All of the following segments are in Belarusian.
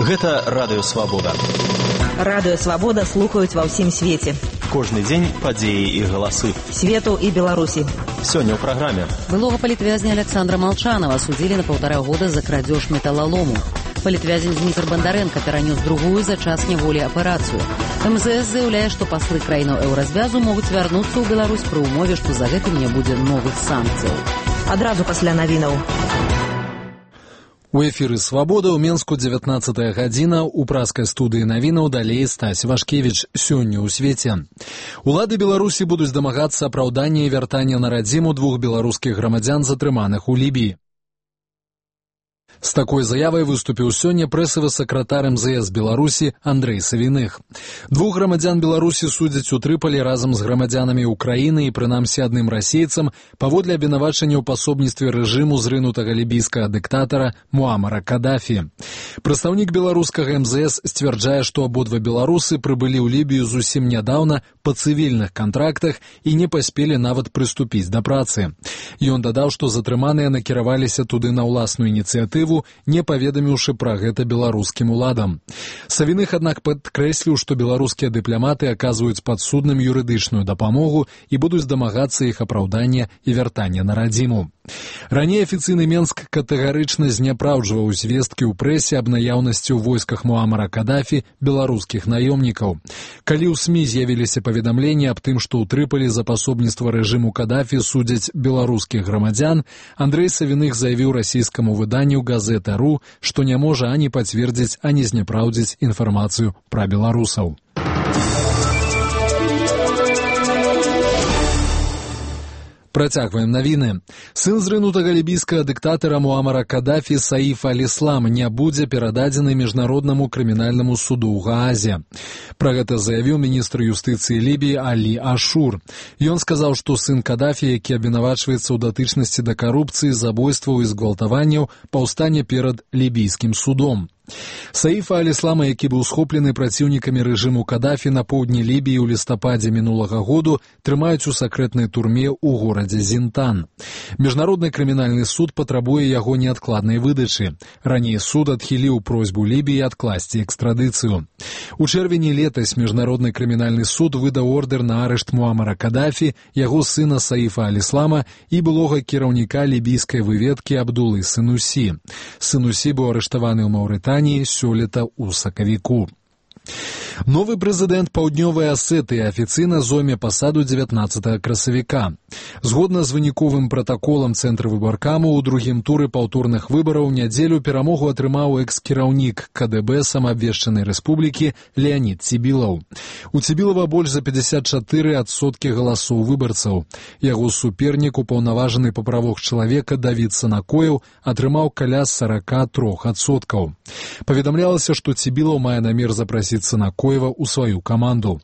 Гэта Радыё Свабода. Радыё Свабода слухаюць ва ўсім свеце. Кожны дзень падзеі і галасы. Свету і Беларусі. Сёння ў праграме. Былога палітвязня Александра Молчанова судзілі на 1,5 года за крадзеж металлолому. Палітвязень Дмітр Бандаренко перанёс другую за час няволі аперацыю. МЗС заяўляе, што паслы краінаў еўразвязу могуць вярнуцца ў Беларусь пры ўмове, што за гэтым не будзе новых санкцыяў. Адразу пасля навінаў. У эфіры «Свабода» ў Менску 19 гадзіна. У праскай студыі навінаў далей Стась Вашкевіч. Сёння ў свеце. Улады Беларусі будуць дамагацца апраўдання і вяртання на радзіму 2 беларускіх грамадзян, затрыманых у Лібіі. З такой заявай выступіў сёння прэсавы сакратар МЗС Беларусі Андрэй Савіных. 2 грамадзян Беларусі судзяць у Трыполі разам з грамадзянамі Украіны і прынамсі адным расейцам паводле абвінавачання ў пасобніцтве рэжыму зрынутага лібійскага дыктатара Муамара Кадафі. Прадстаўнік беларускага МЗС сцвярджае, што абодва беларусы прыбылі ў Лібію зусім нядаўна па цывільных кантрактах і не паспелі нават прыступіць да працы. Ён дадаў, што затрыманыя накіраваліся туды на ўласную ініцыятыву, не паведаміўшы пра гэта беларускім уладам. Савіных, аднак, падкрэсліў, што беларускія дыпламаты аказваюць падсудным юрыдычную дапамогу і будуць дамагацца іх апраўдання і вяртання на радзіму. Раней афіцыйны Менск катэгарычна зняпраўджваў звесткі ў прэсе аб наяўнасці ў войсках Муамара Кадафі беларускіх наёмнікаў. Калі ў СМІ з'явіліся паведамленні аб тым, што ў Трыполі за пасобніцтва рэжыму Кадафі судзяць беларускіх грамадзян, Андрэй Савіных заявіў расійскаму выданню «Газета.ру», што не можа ані пацвердзіць, ані зняпраўдзіць інфармацыю пра беларусаў. Працягваем навіны. Сын зрынутага лібійскага дыктатара Муамара Кадафі Саиф аль-Ислам не будзе перададзены міжнароднаму крымінальнаму суду ў Гаазе. Пра гэта заявіў міністр юстыцыі Лібіі Алі Ашур. Ён сказаў, што сын Кадафі, які абвінавачваецца ў датычнасці да карупцыі, забойстваў і згвалтаванняў, паўстане перад лібійскім судом. Саифа аль-Ислама, які быў схоплены праціўнікамі рэжыму Кадафі на поўдні Лібіі ў лістападзе мінулага году, трымаюць у сакрэтнай турме ў горадзе Зінтан. Міжнародны крымінальны суд патрабуе яго неадкладнай выдачы. Раней суд адхіліў просьбу Лібіі адкласці экстрадыцыю. У чэрвені летась міжнародны крымінальны суд выдаў ордэр на арышт Муамара Кадафі, яго сына Саифа аль-Ислама і былога кіраўніка лібійскай выведкі Абдулы Сынусі. Сынусі быў арыштаваны ў Маўрытаніі сёлета ў сакавіку. Новы прэзідэнт Паўднёвай Асетыі афіцыйна зойме пасаду 19 красавіка. Згодна з выніковым пратаколам Цэнтра выбаркаму ў другім туры паўторных выбараў нядзелю перамогу атрымаў экс-кіраўнік КДБ самаабвешчанай рэспублікі Леанід Цібілаў. У Цібілава больш за 54% галасоў выбарцаў. Яго супернік, упаўнаважаны па правах чалавека Давід Санакоеў, атрымаў каля 43%. Паведамлялася, што Цібілаў мае намер запрасіць Санакоева ў сваю каманду.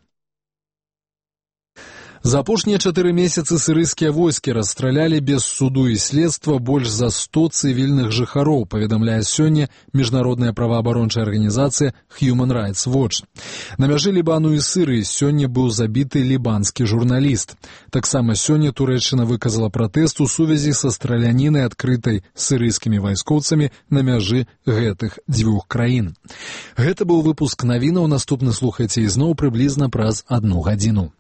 За апошнія 4 месяцы сірыйскія войскі расстралялі без суду і следства больш за 100 цывільных жыхароў, паведамляе сёння міжнародная праваабарончая арганізацыя Human Rights Watch. На мяжы Лібану і Сірыі сёння быў забіты лібанскі журналіст. Таксама сёння Турэччына выказала пратэст у сувязі са стралянінай, адкрытай сірыйскімі вайскоўцамі на мяжы гэтых 2 краін. Гэта быў выпуск навінаў. Наступны слухайце ізноў прыблізна праз 1 гадзіну.